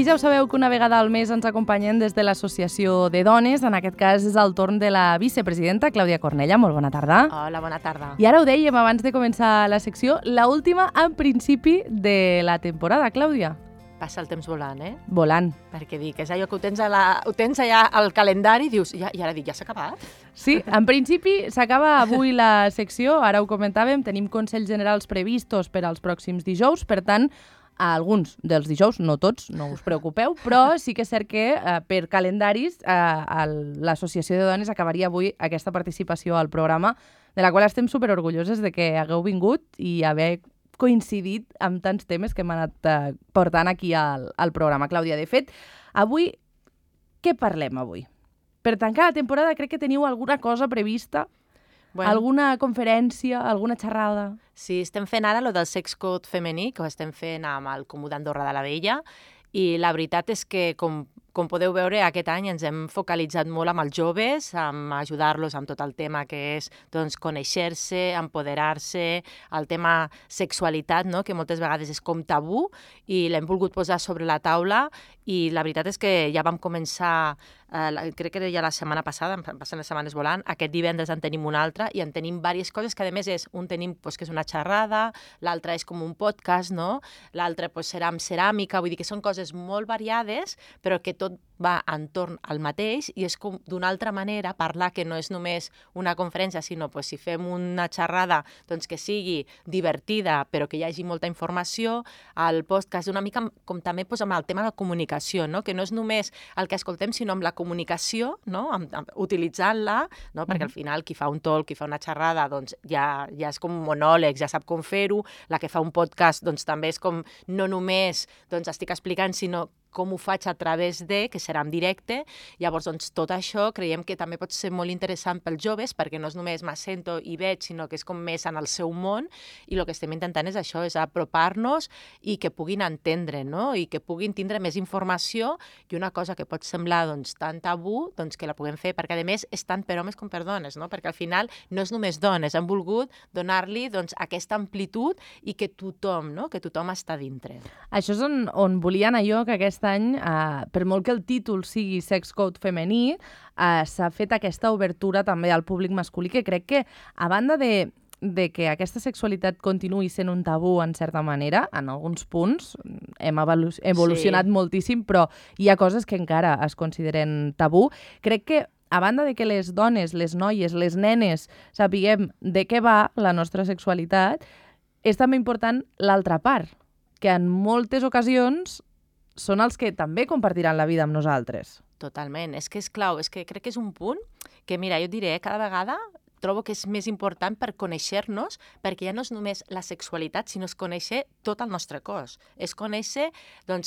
Aquí ja ho sabeu que una vegada al mes ens acompanyen des de l'Associació de Dones. En aquest cas és el torn de la vicepresidenta, Clàudia Cornella. Molt bona tarda. Hola, bona tarda. I ara ho dèiem abans de començar la secció, l'última en principi de la temporada, Clàudia. Passa el temps volant, Volant. Perquè dic, és allò que ho tens allà al calendari i dius, i ara dic, ja s'ha acabat? Sí, en principi s'acaba avui la secció, ara ho comentàvem, tenim consells generals previstos per als pròxims dijous, per tant, a alguns dels dijous, no tots, no us preocupeu, però sí que és cert que per calendaris l'Associació de Dones acabaria avui aquesta participació al programa, de la qual estem superorgulloses de que hagueu vingut i haver coincidit amb tants temes que hem anat portant aquí al programa. Clàudia, de fet, avui, què parlem avui? Per tancar la temporada crec que teniu alguna cosa prevista? Bueno. Alguna conferència, alguna xerrada? Sí, estem fent ara lo del sex code femení, que ho estem fent amb el Comú d'Andorra de la Vella, i la veritat és que, com podeu veure, aquest any ens hem focalitzat molt amb els joves, amb ajudar-los amb tot el tema que és conèixer-se, empoderar-se, el tema sexualitat, no? Que moltes vegades és com tabú, i l'hem volgut posar sobre la taula, i la veritat és que ja vam començar, crec que ja la setmana passada, passen les setmanes volant, aquest divendres en tenim una altra, i en tenim diverses coses, que a més és, un tenim que és una xerrada, l'altre és com un podcast, no? L'altre serà amb ceràmica, vull dir que són coses molt variades, però que tot va entorn al mateix, i és com d'una altra manera parlar, que no és només una conferència, sinó si fem una xerrada que sigui divertida, però que hi hagi molta informació. El podcast una mica com també amb el tema de la comunicació, no? Que no és només el que escoltem, sinó amb la comunicació, no? Utilitzant-la, no? Perquè al final qui fa un talk, qui fa una xerrada, ja és com monòleg, ja sap com fer-ho. La que fa un podcast també és com no només estic explicant, sinó com ho faig a través que serà en directe. Llavors, tot això creiem que també pot ser molt interessant pels joves, perquè no és només m'assento i veig, sinó que és com més en el seu món, i el que estem intentant és això, és apropar-nos i que puguin entendre, no? I que puguin tindre més informació, i una cosa que pot semblar tan tabú, que la puguem fer, perquè a més és tant per homes com per dones, no? Perquè al final no és només dones, hem volgut donar-li aquesta amplitud i que tothom, no? Que tothom està dintre. Això és on volia anar jo, que aquest any, per molt que el títol sigui Sex Code femení, s'ha fet aquesta obertura també al públic masculí, que crec que, a banda de que aquesta sexualitat continuï sent un tabú en certa manera, en alguns punts hem evolucionat moltíssim, però hi ha coses que encara es consideren tabú. Crec que, a banda de que les dones, les noies, les nenes sapiguem de què va la nostra sexualitat, és també important l'altra part, que en moltes ocasions són els que també compartiran la vida amb nosaltres. Totalment. És que és clau, és que crec que és un punt que, mira, jo et diré, cada vegada trobo que és més important per conèixer-nos, perquè ja no és només la sexualitat, sinó és conèixer tot el nostre cos. És conèixer,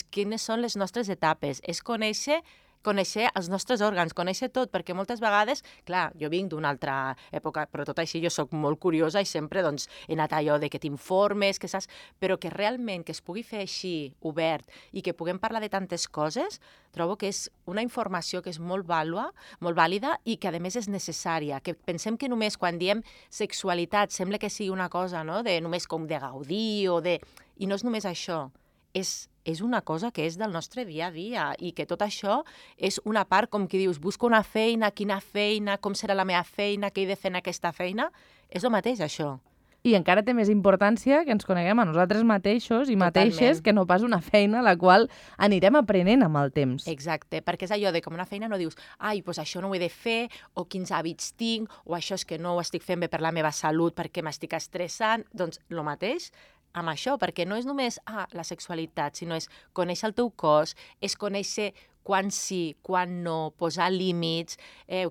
quines són les nostres etapes. És conèixer els nostres òrgans, conèixer tot, perquè moltes vegades, clar, jo vinc d'una altra època, però tot així jo sóc molt curiosa i sempre he anat allò de que t'informes, que saps, però que realment que es pugui fer així, obert, i que puguem parlar de tantes coses, trobo que és una informació que és molt vàlida i que a més és necessària, que pensem que només quan diem sexualitat sembla que sigui una cosa, no?, de només com de gaudir o de... I no és només això, és una cosa que és del nostre dia a dia, i que tot això és una part, com que dius, busco una feina, quina feina, com serà la meva feina, què he de fer en aquesta feina, és el mateix això. I encara té més importància que ens coneguem a nosaltres mateixos i mateixes, que no pas una feina a la qual anirem aprenent amb el temps. Exacte, perquè és allò de com una feina no dius doncs això no ho he de fer, o quins hàbits tinc, o això és que no ho estic fent bé per la meva salut perquè m'estic estressant. Doncs el mateix amb això, perquè no és només la sexualitat, sinó és conèixer el teu cos, és conèixer quan sí, quan no, posar límits,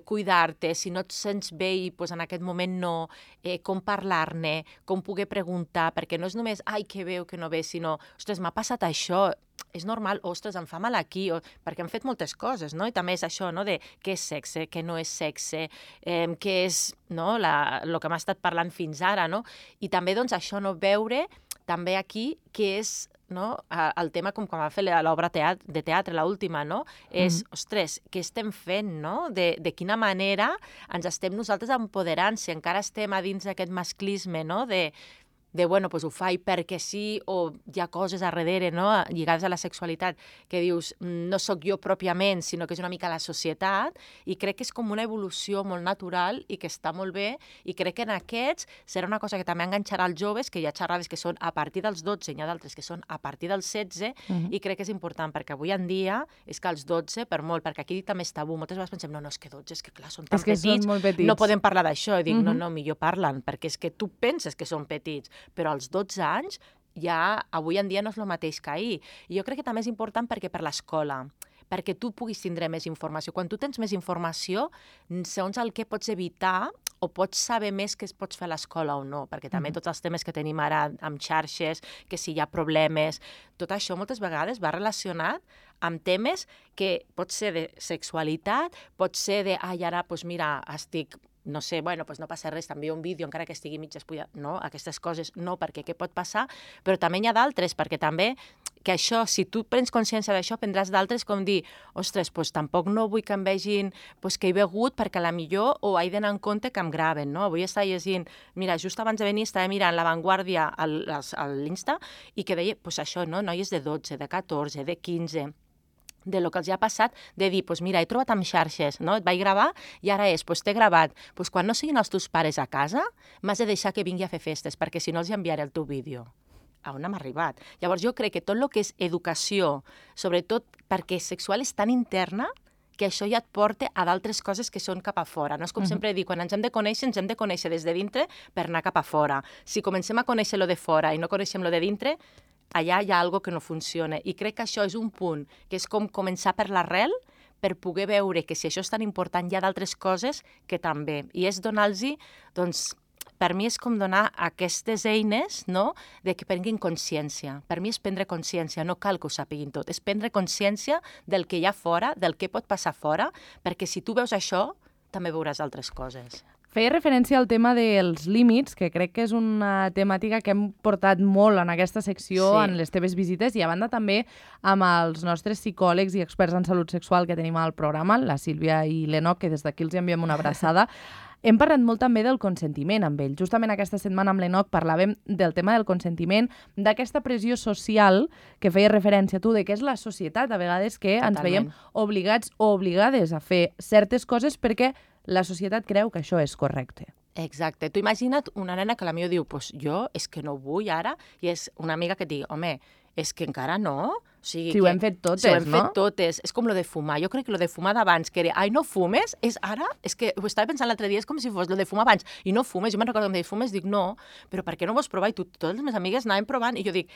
cuidar-te, si no et sents bé i en aquest moment no, com parlar-ne, com poder preguntar, perquè no és només, que bé o que no bé, sinó, ostres, m'ha passat això, és normal, ostres, em fa mal aquí, perquè hem fet moltes coses, no? I també és això, no?, de què és sexe, què no és sexe, què és, no?, el que hem estat parlant fins ara, no? I també, això, no, veure també aquí que és, no, el tema com quan va fer l'obra de teatre, l'última, no? És, ostres, què estem fent, no? De quina manera ens estem nosaltres empoderant, si encara estem a dins d'aquest masclisme, no? De bueno, doncs ho faig perquè sí, o hi ha coses a darrere, no?, lligades a la sexualitat, que dius, no sóc jo pròpiament, sinó que és una mica la societat, i crec que és com una evolució molt natural i que està molt bé, i crec que en aquests serà una cosa que també enganxarà els joves, que hi ha xerrades que són a partir dels 12, i hi ha d'altres que són a partir dels 16, i crec que és important, perquè avui en dia és que els 12, per molt, perquè aquí també és tabú, moltes vegades pensem, no, és que 12, és que clar, són tan petits, molt petits, no podem parlar d'això, i dic, no, millor parlen, perquè és que tu penses que són petits, però als 12 anys ja avui en dia no és el mateix que ahir. I jo crec que també és important perquè per l'escola, perquè tu puguis tindre més informació. Quan tu tens més informació, segons el que pots evitar o pots saber més què es pots fer a l'escola o no, perquè també tots els temes que tenim ara amb xarxes, que si hi ha problemes, tot això moltes vegades va relacionat amb temes que pot ser de sexualitat, pot ser de, ara, doncs mira, estic... no sé, bueno, doncs no passa res, t'envio un vídeo, encara que estigui mig despullat. No, aquestes coses no, perquè què pot passar? Però també n'hi ha d'altres, perquè també que això, si tu prens consciència d'això, prendràs d'altres com dir, ostres, doncs tampoc no vull que em vegin que he begut perquè a la millor o he d'anar en compte que em graven, no? Avui estava llegint, mira, just abans de venir estava mirant La Vanguardia a l'Insta i que deia, doncs això, no? Noies de 12, de 14, de 15... de lo que els ha passat, de dir, doncs mira, he trobat amb xarxes, no? Et vaig gravar i ara doncs t'he gravat. Doncs quan no siguin els teus pares a casa, m'has de deixar que vingui a fer festes, perquè si no els enviaré el teu vídeo. A on hem arribat? Llavors jo crec que tot el que és educació, sobretot perquè sexual és tan interna, que això ja et porta a d'altres coses que són cap a fora. No és com sempre dic, quan ens hem de conèixer des de dintre per anar cap a fora. Si comencem a conèixer lo de fora i no coneixem lo de dintre, allà hi ha alguna que no funciona. I crec que això és un punt, que és com començar per l'arrel, per poder veure que si això és tan important hi ha d'altres coses que també. I és donar-los, doncs, per mi és com donar aquestes eines, no?, de que prenguin consciència. Per mi és prendre consciència, no cal que ho sàpiguin tot, és prendre consciència del que hi ha fora, del que pot passar fora, perquè si tu veus això, també veuràs altres coses. Feia referència al tema dels límits, que crec que és una temàtica que hem portat molt en aquesta secció, en les teves visites, i a banda també amb els nostres psicòlegs i experts en salut sexual que tenim al programa, la Sílvia i l'Enoc, que des d'aquí els enviem una abraçada. Hem parlat molt també del consentiment amb ell. Justament aquesta setmana amb l'Enoc parlàvem del tema del consentiment, d'aquesta pressió social que feia referència tu, de que és la societat, a vegades que ens veiem obligats o obligades a fer certes coses perquè la societat creu que això és correcte. Exacte. Tu imagina't una nena que potser diu, doncs jo és que no vull ara, i és una amiga que et digui, home, és que encara no. O sigui, si ho hem fet totes, no? Si ho hem fet totes. És com lo de fumar. Jo crec que lo de fumar d'abans, que era, ai, no fumes, és ara, és que ho estava pensant l'altre dia, és com si fos lo de fumar abans, i no fumes. Jo me'n recordo que em deia, fumes? Dic, no, però per què no vols provar? I totes les meves amigues anaven provant, i jo dic,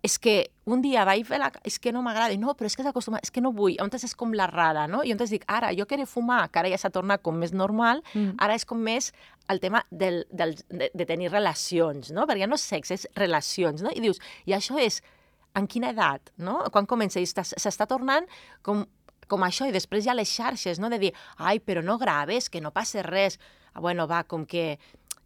és que un dia vaig fer és que no m'agrada, no, però és que s'acostuma, és que no vull, llavors és com la rara, no? I llavors dic, ara, jo que era fumar, que ara ja s'ha tornat com més normal, ara és com més el tema de tenir relacions, no? Perquè ja no és sexe, és relacions, no? I dius, i això és, en quina edat, no? Quan comença? I s'està tornant com això, i després hi ha les xarxes, no? De dir, ai, però no graves, que no passa res. Bueno, va, com que...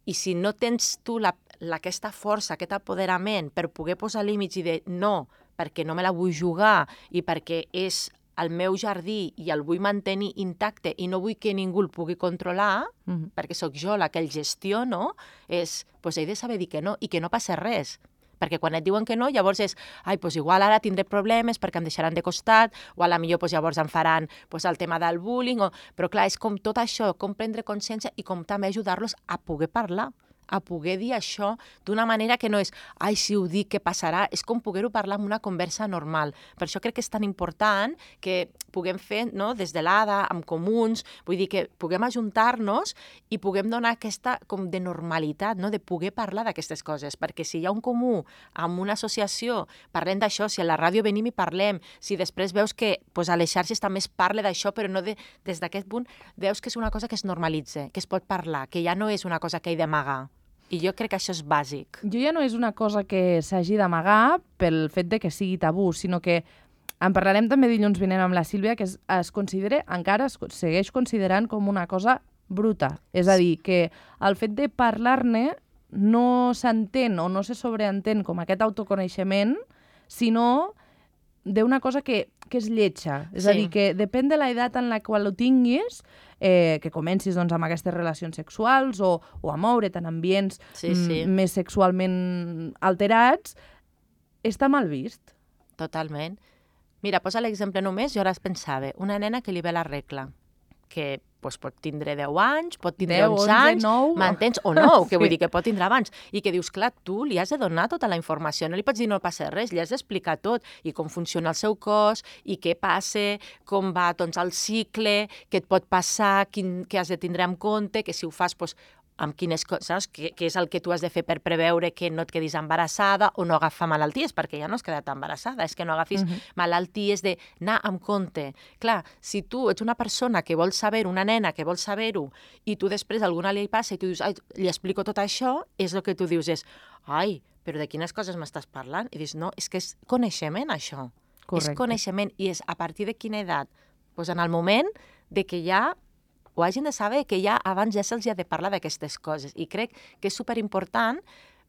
I si no tens tu aquesta força, aquest apoderament per poder posar límits i dir no, perquè no me la vull jugar i perquè és el meu jardí i el vull mantenir intacte i no vull que ningú el pugui controlar, perquè sóc jo la que el gestiono, doncs he de saber dir que no i que no passa res. Perquè quan et diuen que no, llavors és, ai, doncs igual ara tindré problemes perquè em deixaran de costat, o a la millor doncs llavors em faran el tema del bullying, però clar, és com tot això, com prendre consciència i com també ajudar-los a poder parlar, a poder dir això d'una manera que no és, ai, si ho dic, què passarà? És com poder-ho parlar en una conversa normal. Per això crec que és tan important que puguem fer, no?, des de l'ADA, amb comuns, vull dir que puguem ajuntar-nos i puguem donar aquesta com de normalitat, no?, de poder parlar d'aquestes coses, perquè si hi ha un comú amb una associació, parlem d'això, si a la ràdio venim i parlem, si després veus que a les xarxes també es parla d'això, però no des d'aquest punt, veus que és una cosa que es normalitza, que es pot parlar, que ja no és una cosa que he d'amagar. I jo crec que això és bàsic. Jo ja no és una cosa que s'hagi d'amagar pel fet de que sigui tabú, sinó que en parlarem també dilluns vinent amb la Sílvia, que es considera, encara es segueix considerant com una cosa bruta. És a dir, que el fet de parlar-ne no s'entén o no se sobreentén com aquest autoconeixement, sinó d'una cosa que és lletja. És a dir, que depèn de l'edat en la qual ho tinguis, que comencis doncs, amb aquestes relacions sexuals o a moure't en ambients més sexualment alterats, està mal vist. Totalment. Mira, posa l'exemple només, jo ara es pensava, una nena que li ve la regla, que pot tindre 10 anys, pot tindre 11 anys, m'entens? O no, que vull dir que pot tindre abans. I que dius, clar, tu li has de donar tota la informació, no li pots dir no passa res, li has d'explicar tot, i com funciona el seu cos, i què passa, com va doncs, el cicle, què et pot passar, què has de tindre en compte, que si ho fas, doncs, amb quines coses, què és el que tu has de fer per preveure que no et quedis embarassada o no agafar malalties, perquè ja no has quedat embarassada, és que no agafis malalties d'anar amb compte. Clar, si tu ets una persona que vol saber-ho, una nena que vol saber-ho, i tu després alguna li passa i tu dius, ai, li explico tot això, és el que tu dius és, ai, però de quines coses m'estàs parlant? I dius, no, és que és coneixement, això. Correcte. És coneixement, i és a partir de quina edat? Doncs en el moment de que ja ho hagin de saber, que ja abans ja se'ls ha de parlar d'aquestes coses. I crec que és superimportant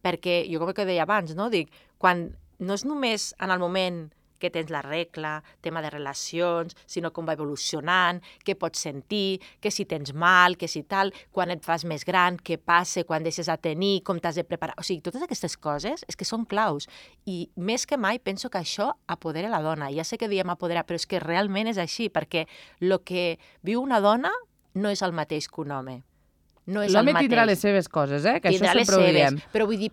perquè, jo com que deia abans, no? Dic, quan no és només en el moment que tens la regla, tema de relacions, sinó com va evolucionant, què pots sentir, que si tens mal, que si tal, quan et fas més gran, què passa, quan deixes a tenir, com t'has de preparar... O sigui, totes aquestes coses és que són claus. I més que mai penso que això apodera la dona. Ja sé que diem apoderar, però és que realment és així, perquè el que viu una dona no és el mateix que un home. No és l'home tindrà les seves coses, que tindrà això sempre ho diem. Però vull dir,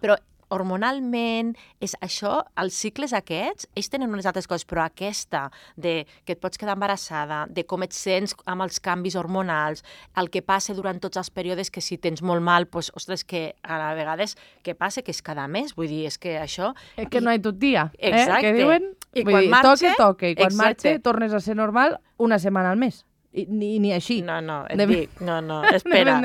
hormonalment, és això, els cicles aquests, ells tenen unes altres coses, però aquesta, de que et pots quedar embarassada, de com et sents amb els canvis hormonals, el que passa durant tots els períodes, que si tens molt mal, doncs, ostres, que a vegades, què passa? Que és cada mes, vull dir, és que això... És que no hi tot dia, exacte. Que diuen, i quan marxa... Toca, i quan marxa tornes a ser normal una setmana al mes. Ni així. No, espera.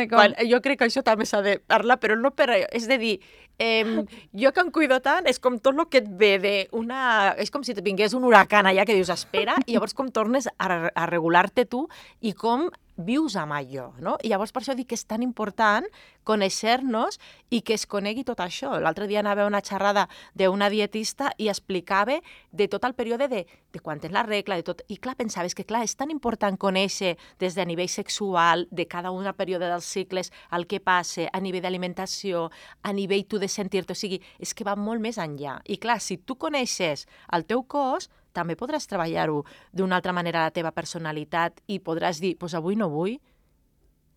Jo crec que això també s'ha de parlar, però no per... És de dir, jo que em cuido tant, és com tot el que et ve d'una... És com si et vingués un huracan allà que dius, espera, i llavors com tornes a regular-te tu i com vius amb allò, no? I llavors per això dic que és tan important conèixer-nos i que es conegui tot això. L'altre dia anava a una xerrada d'una dietista i explicava de tot el període de quan tens la regla, de tot. I clar, pensaves que clar, és tan important conèixer des de nivell sexual, de cada un període dels cicles, el que passa, a nivell d'alimentació, a nivell tu de sentir-te. O sigui, és que va molt més enllà. I clar, si tu coneixes el teu cos, també podràs treballar-ho d'una altra manera la teva personalitat i podràs dir, doncs avui no vull.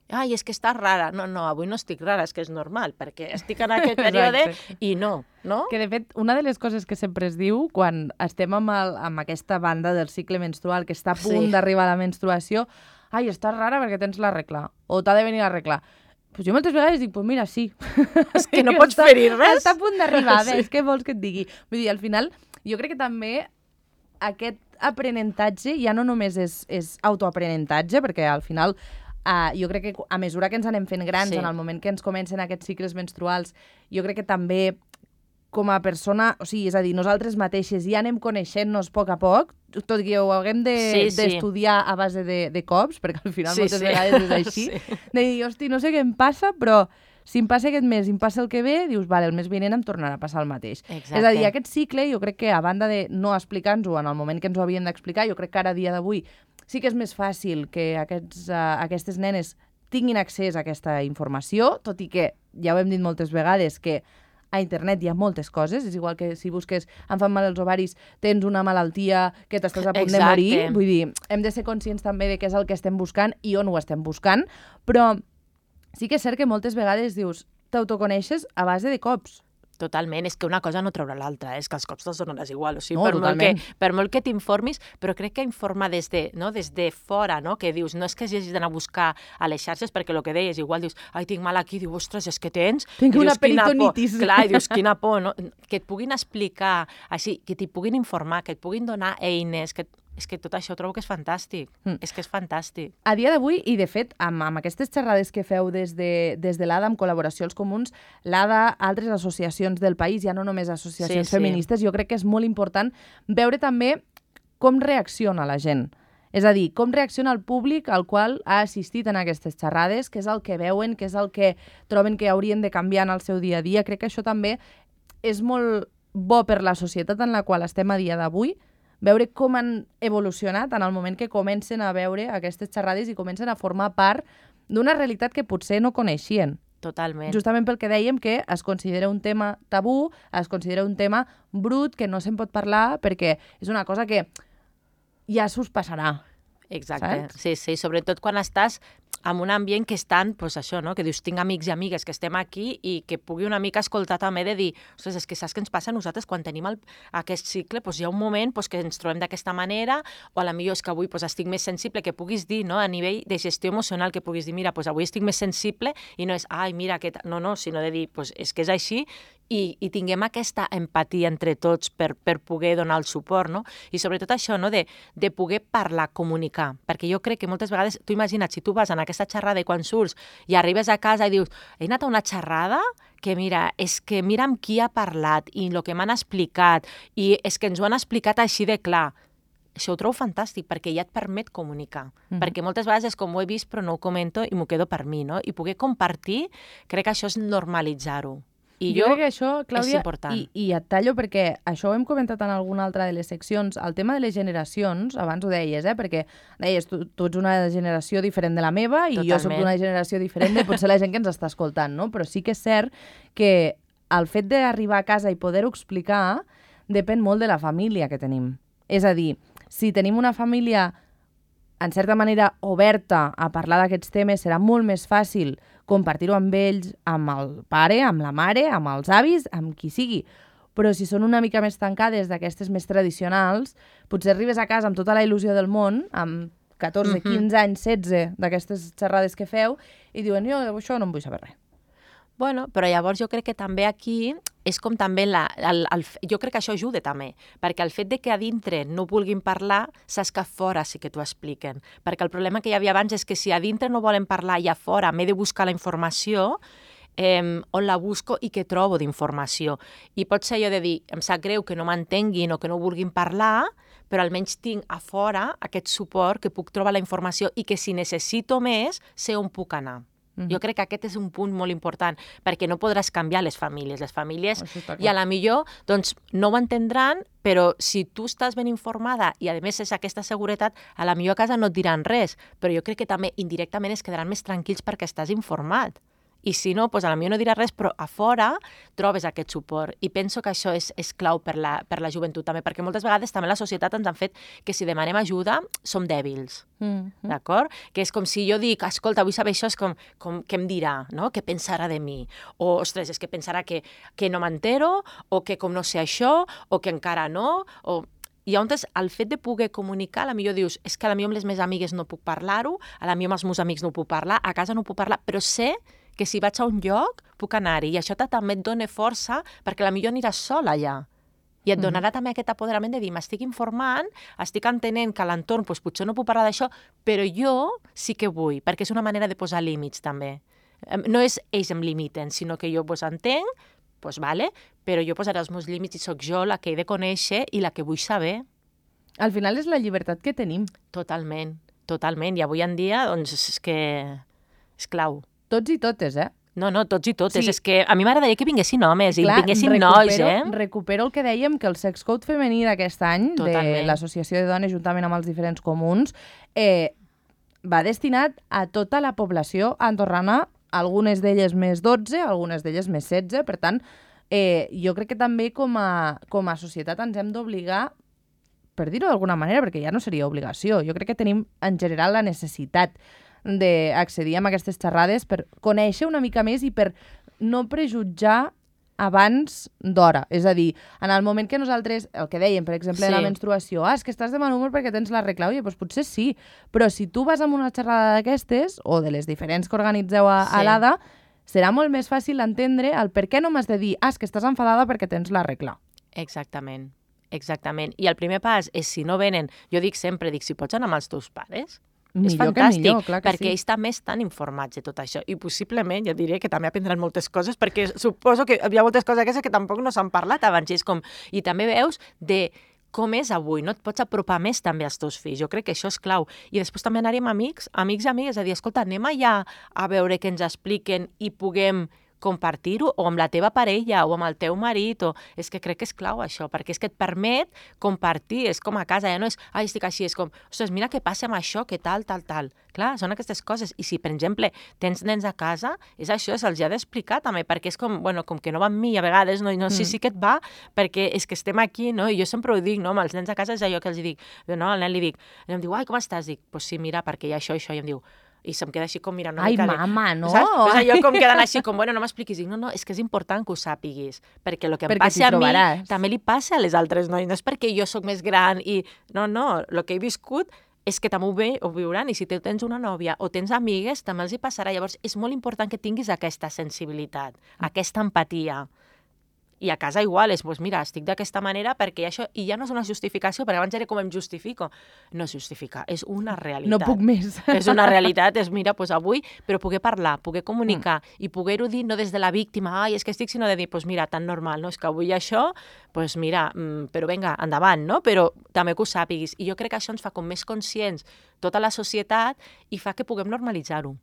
Ai, és que estàs rara. No, avui no estic rara, és que és normal, perquè estic en aquest període i no. Que, de fet, una de les coses que sempre es diu quan estem amb aquesta banda del cicle menstrual, que està a punt d'arribar a la menstruació, ai, estàs rara perquè tens la regla, o t'ha de venir la regla. Pues jo moltes vegades dic, pues mira, sí. És que no pots fer-hi res. Està a punt d'arribar, ves, què vols que et digui? Vull dir, al final, jo crec que també aquest aprenentatge ja no només és autoaprenentatge, perquè al final jo crec que a mesura que ens anem fent grans, en el moment que ens comencen aquests cicles menstruals, jo crec que també com a persona, o sigui, és a dir, nosaltres mateixes ja anem coneixent-nos a poc, tot i que ho haguem d'estudiar a base de cops, perquè al final moltes vegades és així, de dir, hosti, no sé què em passa, però si em passa aquest mes i em passa el que ve, dius, vale, el mes vinent em tornarà a passar el mateix. Exacte. És a dir, aquest cicle, jo crec que a banda de no explicar-nos-ho en el moment que ens ho havien d'explicar, jo crec que ara, a dia d'avui, sí que és més fàcil que aquestes nenes tinguin accés a aquesta informació, tot i que, ja ho hem dit moltes vegades, que a internet hi ha moltes coses, és igual que si busques em fan mal els ovaris, tens una malaltia que t'estàs a punt de morir, vull dir, hem de ser conscients també de què és el que estem buscant i on ho estem buscant, però sí que és cert que moltes vegades dius, t'autoconeixes a base de cops. Totalment, és que una cosa no traurà l'altra, és que els cops te'ls donaràs igual, o sigui, no, per molt que t'informis, però crec que informar des de fora, no? Que dius, no és que hagis d'anar a buscar a les xarxes, perquè el que deies, igual dius, ai, tinc mal aquí, dius, ostres, és que tens... Tinc una peritonitis. Clar, i dius, quina por, no? Que et puguin explicar, així, que t'hi puguin informar, que et puguin donar eines, és que tot això trobo que és fantàstic. És que és fantàstic. A dia d'avui, i de fet, amb aquestes xerrades que feu des de l'ADA, amb col·laboració als comuns, l'ADA, altres associacions del país, ja no només associacions feministes, jo crec que és molt important veure també com reacciona la gent. És a dir, com reacciona el públic al qual ha assistit en aquestes xerrades, què és el que veuen, què és el que troben que haurien de canviar en el seu dia a dia. Crec que això també és molt bo per la societat en la qual estem a dia d'avui, veure com han evolucionat en el moment que comencen a veure aquestes xerrades i comencen a formar part d'una realitat que potser no coneixien. Totalment. Justament pel que dèiem que es considera un tema tabú, es considera un tema brut, que no se'n pot parlar perquè és una cosa que ja s'us passarà. Exacte, saps? sí, sobretot quan estàs en un ambient que estan, doncs això, no? Que dius, tinc amics i amigues que estem aquí i que pugui una mica escoltar també de dir, ostres, és que saps què ens passa a nosaltres quan tenim aquest cicle, doncs hi ha un moment que ens trobem d'aquesta manera, o a la millor és que avui estic més sensible, que puguis dir, no? A nivell de gestió emocional, que puguis dir, mira, avui estic més sensible i no és, ai, mira, no, sinó de dir, és que és així i tinguem aquesta empatia entre tots per poder donar el suport, no? I sobretot això, no? De poder parlar, comunicar, perquè jo crec que moltes vegades, tu imagina't, si tu vas en aquesta xerrada i quan surts i arribes a casa i dius, he anat a una xerrada que mira, és que mira amb qui ha parlat i el que m'han explicat i és que ens ho han explicat així de clar. Això ho trobo fantàstic, perquè ja et permet comunicar. Perquè moltes vegades és com ho he vist però no ho comento i m'ho quedo per mi, no? I poder compartir, crec que això és normalitzar-ho. I jo crec que això, Clàudia, és important. I et tallo perquè això ho hem comentat en alguna altra de les seccions, el tema de les generacions, abans ho deies, perquè deies, tu ets una generació diferent de la meva i jo soc d'una generació diferent de potser la gent que ens està escoltant, no? Però sí que és cert que el fet d'arribar a casa i poder-ho explicar depèn molt de la família que tenim. És a dir, si tenim una família en certa manera oberta a parlar d'aquests temes, serà molt més fàcil compartir-ho amb ells, amb el pare, amb la mare, amb els avis, amb qui sigui. Però si són una mica més tancades d'aquestes més tradicionals, potser arribes a casa amb tota la il·lusió del món, amb 14, 15 anys, 16 d'aquestes xerrades que feu, i diuen, jo això no em vull saber res. Bueno, però llavors jo crec que també aquí és com també jo crec que això ajuda també, perquè el fet de que a dintre no vulguin parlar, saps que a fora sí que t'ho expliquen. Perquè el problema que hi havia abans és que si a dintre no volen parlar i a fora m'he de buscar la informació, on la busco i què trobo d'informació. I pot ser allò de dir, em sap greu que no m'entenguin o que no vulguin parlar, però almenys tinc a fora aquest suport que puc trobar la informació i que si necessito més, sé on puc anar. Jo crec que aquest és un punt molt important, perquè no podràs canviar les famílies. Les famílies, i a la millor, doncs, no ho entendran, però si tu estàs ben informada i, a més, és aquesta seguretat, a la millor a casa no et diran res, però jo crec que també indirectament es quedaran més tranquils perquè estàs informat. I si no, doncs a la millor no dirà res, però a fora trobes aquest suport. I penso que això és clau per la joventut també, perquè moltes vegades també la societat ens han fet que si demanem ajuda som dèbils, d'acord? Que és com si jo dic, escolta, vull saber això, és com què em dirà, no? Què pensarà de mi? O, ostres, és que pensarà que no m'entero, o que com no sé això, o que encara no, o... I llavors, el fet de poder comunicar, a la millor dius, és que a la millor amb les meves amigues no puc parlar-ho, a la millor amb els meus amics no puc parlar, a casa no puc parlar, però sé que si vaig a un lloc puc anar-hi. I això també et dona força perquè a la millor aniràs sola allà. I et donarà també aquest apoderament de dir, m'estic informant, estic entenent que a l'entorn potser no puc parlar d'això, però jo sí que vull, perquè és una manera de posar límits també. No és ells em limiten, sinó que jo entenc, doncs vale, però jo posaré els meus límits i sóc jo la que he de conèixer i la que vull saber. Al final és la llibertat que tenim. Totalment, totalment. I avui en dia, doncs, és que és clau. Tots i totes, No, tots i totes. Sí. És que a mi m'agradaria que vinguessin homes i vinguessin nois, Recupero el que dèiem, que el Sex Code femení d'aquest any, de l'Associació de Dones, juntament amb els diferents comuns, va destinat a tota la població andorrana, algunes d'elles més 12, algunes d'elles més 16. Per tant, jo crec que també com a societat ens hem d'obligar, per dir-ho d'alguna manera, perquè ja no seria obligació, jo crec que tenim en general la necessitat d'accedir a aquestes xerrades per conèixer una mica més i per no prejutjar abans d'hora. És a dir, en el moment que nosaltres, el que dèiem, per exemple, de la menstruació, és que estàs de mal humor perquè tens la regla. Oye, doncs potser sí, però si tu vas a una xerrada d'aquestes, o de les diferents que organitzeu a l'ADA, serà molt més fàcil entendre el per què no m'has de dir, és que estàs enfadada perquè tens la regla. Exactament. I el primer pas és, si no venen, jo dic sempre, si pots anar amb els teus pares, és fantàstic, perquè ells també estan informats de tot això. I possiblement, jo diré que també aprendran moltes coses, perquè suposo que hi ha moltes coses aquestes que tampoc no s'han parlat abans. I també veus de com és avui, no? Et pots apropar més també als teus fills. Jo crec que això és clau. I després també anar-hi amb amics i amigues, a dir, escolta, anem allà a veure què ens expliquen i puguem compartir-ho o amb la teva parella o amb el teu marit, és que crec que és clau això, perquè és que et permet compartir, és com a casa, ja no és, estic així, és com, ostres, mira què passa amb això, què tal. Clar, són aquestes coses, i si, per exemple, tens nens a casa, és això, se'ls ha d'explicar també, perquè és com, com que no va amb mi a vegades, no sé si que et va, perquè és que estem aquí, no? I jo sempre ho dic, no? Amb els nens a casa és allò que els dic, no? Al nen li dic, i em diu, com estàs? Dic, pues sí, mira, perquè hi ha això, i em diu, i se'm queda així com mirant una mica mama, no? Saps? Pues allò com quedant així com, no m'expliquis. Dic, no, és que és important que ho sàpiguis, perquè el que em passa a mi també li passa a les altres noies. No és perquè jo sóc més gran i... No, el que he viscut és que també ho viuran, i si tens una nòvia o tens amigues, també els hi passarà. Llavors, és molt important que tinguis aquesta sensibilitat, aquesta empatia. I a casa igual, és, mira, estic d'aquesta manera perquè això, i ja no és una justificació, perquè abans era com em justifico. No és justificar, és una realitat. No puc més. És una realitat, és, mira, avui, però poder parlar, poder comunicar i poder-ho dir no des de la víctima, és que estic, sinó de dir, mira, tan normal, no? És que avui això, mira, però vinga, endavant, no? Però també que ho sàpiguis. I jo crec que això ens fa com més conscients tota la societat i fa que puguem normalitzar-ho.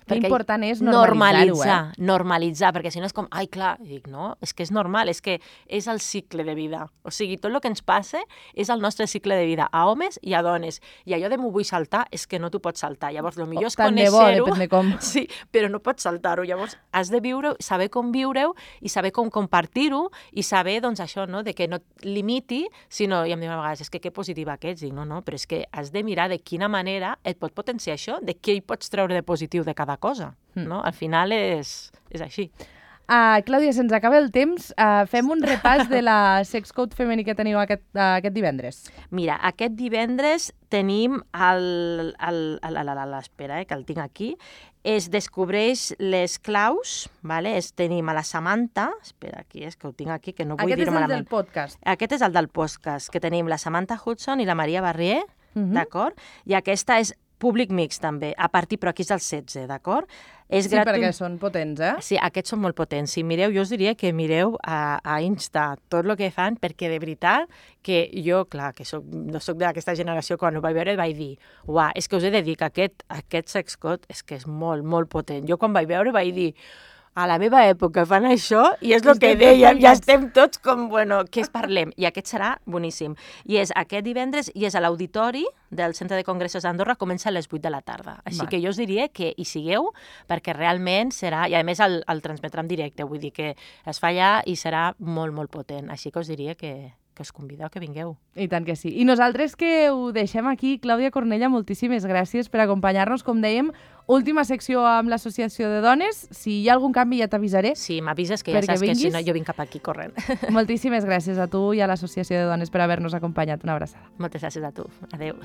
L'important és normalitzar-ho, normalitzar, perquè si no és com, clar, dic, no, és que és normal, és que és el cicle de vida. O sigui, tot el que ens passa és el nostre cicle de vida, a homes i a dones. I allò de m'ho vull saltar és que no t'ho pots saltar. Llavors, el millor és conèixer-ho. Depèn de com. Sí, però no pots saltar-ho. Llavors, has de viure-ho, saber com viure-ho i saber com compartir-ho i saber, doncs, això, no?, de que no et limiti, sinó, i em diuen a vegades, és que positiva que ets. Dic, no, però és que has de mirar de quina manera et pot potenciar això, de què hi pots treure de positiu de cada cosa, no? Al final és així. Clàudia, se'ns acaba el temps. Fem un repàs de la Sex Code femení que teniu aquest divendres. Mira, aquest divendres tenim l'espera, que el tinc aquí, es descobreix les claus, vale? Tenim a la Samantha, espera, aquí, és que ho tinc aquí, que no vull dir-ho malament. Aquest és el del podcast. Aquest és el del podcast, que tenim la Samantha Hudson i la Maria Barrier, d'acord? I aquesta és públic mixt, també, a partir, però aquí és el 16, d'acord? Sí, perquè són potents, eh? Sí, aquests són molt potents. Si mireu, jo us diria que mireu a Insta tot el que fan, perquè de veritat que jo, clar, que no soc d'aquesta generació, quan ho vaig veure vaig dir, uah, és que us he de dir que aquest Sex Code és que és molt, molt potent. Jo quan vaig veure vaig dir, a la meva època fan això, i és el que dèiem, ja estem tots com, què es parlem? I aquest serà boníssim. I és aquest divendres, i és a l'auditori del Centre de Congressos d'Andorra, comença a les 8 de la tarda. Així que jo us diria que hi sigueu, perquè realment serà, i a més el transmetrà en directe, vull dir que es fa allà i serà molt, molt potent. Així que us diria que us convideu que vingueu. I tant que sí. I nosaltres que ho deixem aquí, Clàudia Cornella, moltíssimes gràcies per acompanyar-nos. Com dèiem, última secció amb l'Associació de Dones. Si hi ha algun canvi ja t'avisaré. Sí, m'avises, que ja saps que si no jo vinc cap aquí corrent. Moltíssimes gràcies a tu i a l'Associació de Dones per haver-nos acompanyat. Una abraçada. Moltes gràcies a tu. Adéu.